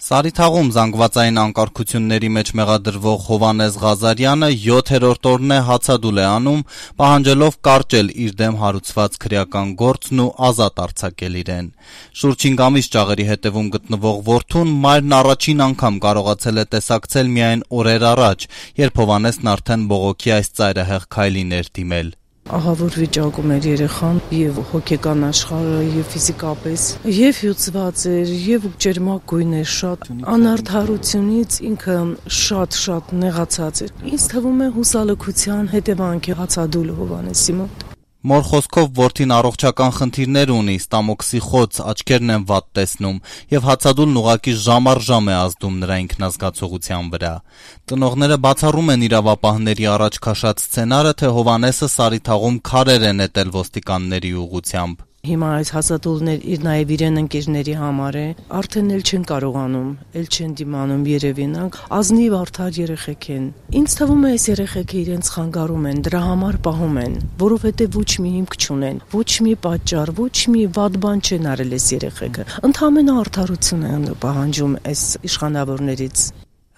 Սարիթաղում զանգվածային անկարգությունների մեջ մեղադրվող Հովհաննես Ղազարյանը 7-րդ օրն է հացադուլ է անում, պահանջելով կարճել իր դեմ հարուցված քրեական գործն ու ազատ արձակել իրեն։ Շուրջ 5 ամիս ճաղերի հետևում գտնվող որդուն մայրն առաջին անգամ կարողացել է տեսակցել միայն օրեր առաջ, երբ Հովհաննեսն արդեն բողոքի այս ծայրահեղ քայլին էր դիմել։ Ահավոր վիճակում էր երեխան, եւ հոգեկան աշխարհը, եւ ֆիզիկապես, եւ հյուծված էր, եւ ջերմագույն էր շատ, անարդարությունից ինքը շատ նեղացած էր։ Ինձ թվում է հուսալքության հետևանք է հացադուլ Հովհաննեսի մոտ։ Մոր խոսքով որդին առողջական խնդիրներ ունի, ստամոքսի խոց, աչքերն են վատ տեսնում, եւ հացադուլն ուղղակի ժամ առ ժամ է ազդում նրա ինքնազգացողության վրա։ Տնողները բացառում են իրավապահների առաջ քաշած սցենարը, թե Հովհաննեսը Սարիթաղում քարեր է նետել ոստիկանների ուղղությամբ։ Հիմա այս հացադուլներ իր նաև իրեն ընկերների համար է, արդեն էլ չեն կարողանում, էլ չեն դիմանում երևինակ, ազնիվ արդար երեխեք են։ Ինձ թվում է այս երեխեքը իրենց խանգարում են, դրա համար պահում են, որովհետև ոչ մի հիմք չունեն, ոչ մի պատճառ, ոչ մի վատ բան չեն արել այս երեխեքը։ Ընդհանրապես արդարություն են պահանջում այս իշխանավորներից։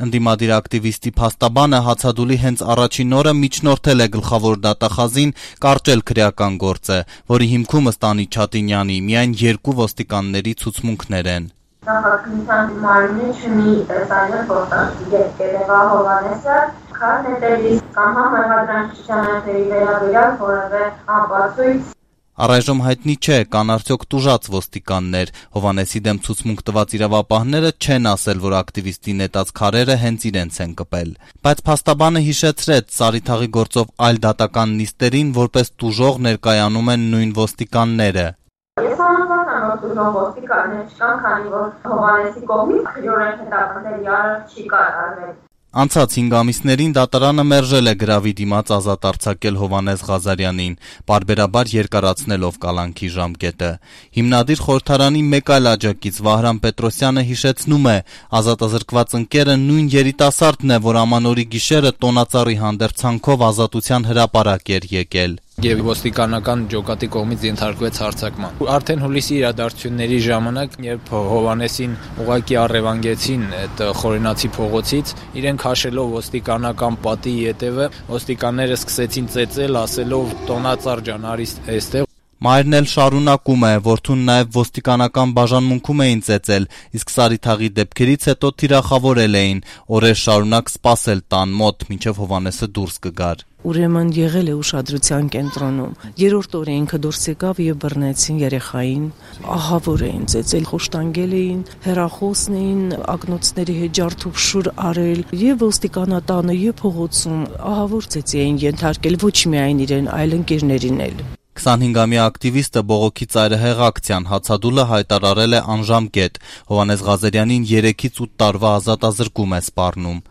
Ընդդիմադիր ակտիվիստի փաստաբանը հացադուլի հենց առաջին օրը միջնորդել է գլխավոր դատախազին կարճել քրեական գործը, որի հիմքում ըստ Անի Չատինյանի միայն 2 ոստիկանների ցուցմունքներ են։ Նախաքննության մարմինը չունի տեսանյութ փոխանցի Երևա Հովհաննեսը քար նետելիս կամ համեմատրանքների վերաբերյալ որևէ ապացույց։ Առայժմ հայտնի չէ, կան արդյոք տուժած ոստիկաններ։ Հովհաննեսի դեմ ցուցմունք տված իրավապահները չեն ասել, որ ակտիվիստի նետած քարերը հենց իրենց են կպել։ Բայց փաստաբանը հիշեցրեց Սարիթաղի գործով այլ դատական նիստերին, որպես տուժող ներկայանում են նույն ոստիկանները։ Ես համոզված եմ, որ տուժող ոստիկաններ չկան, քանի որ Հովհաննեսի կողմից քրեորեն հետապնդելի արարք չի կատարվել։ Անցած 5 ամիսներին դատարանը մերժել է գրավի դիմաց ազատ արձակել Հովհաննես Ղազարյանին, պարբերաբար երկարացնելով կալանքի ժամկետը։ Հիմնադիր խորհրդարանի մեկ այլ աջակից Վահրամ Պետրոսյանը հիշեցնում է, ազատազրկված ընկերը նույն երիտասարդն է, որ ամանորի գիշերը տոնածառի հանդերձանքով ազատության հրապարակ էր եկել։ Եվ ոստիկանական ջոկատի կողմից ենթարկվեց հարձակման։ Արդեն հուլիսի իրադարձությունների ժամանակ, երբ Հովհաննեսին ուղղակի առևանգեցին այդ խորենացի փողոցից, իրեն քաշելով ոստիկանական պատի ետևը, ոստիկանները սկսեցին ծեծել, ասելով տոնածառ ջան, արի այստեղ։ Մայրն էլ շարունակում է, որդուն նաև ոստիկանական բաժանմունքում էին ծեծել, իսկ Սարիթաղի դեպքերից հետո թիրախավորել էին, օրեր շարունակ սպասել տան մոտ, մինչև Հովհաննեսը դուրս կգար։ Ուրեմն եղել է ուշադրության կենտրոնում։ Երրորդ օրը ինքը դուրս եկավ եւ բռնեցին երեխային, ահավոր էին ծեծել, խոշտանգել էին, հեռախոսն էին, ակնոցների հետ ջարդուփշուր արել եւ ոստիկանատանը եւ փողոցում ահավոր ծեծի էին ենթարկել ոչ միայն իրեն, այլ ընկերներին էլ։ 25-ամյա ակտիվիստը բողոքի ծայրահեղ ակցիան հացադուլը հայտարարել է անժամկետ։ Հովհաննես Ղազարյանին 3-ից 8 տարվա ազատազրկում է սպառնում։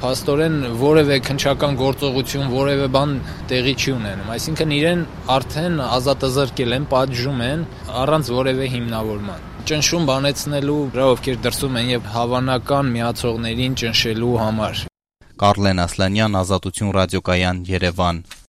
Փաստորեն որևէ քննչական գործողություն, որևէ բան տեղի չի ունենում, այսինքն իրեն արդեն ազատազրկել են, պատժում են առանց որևէ հիմնավորման։ Ճնշում բանեցնելու վրա, ովքեր դրսում են եւ հավանական միացողներին ճնշելու համար։ Կարլեն Ասլանյան, Ազատություն ռադիոկայան, Երևան։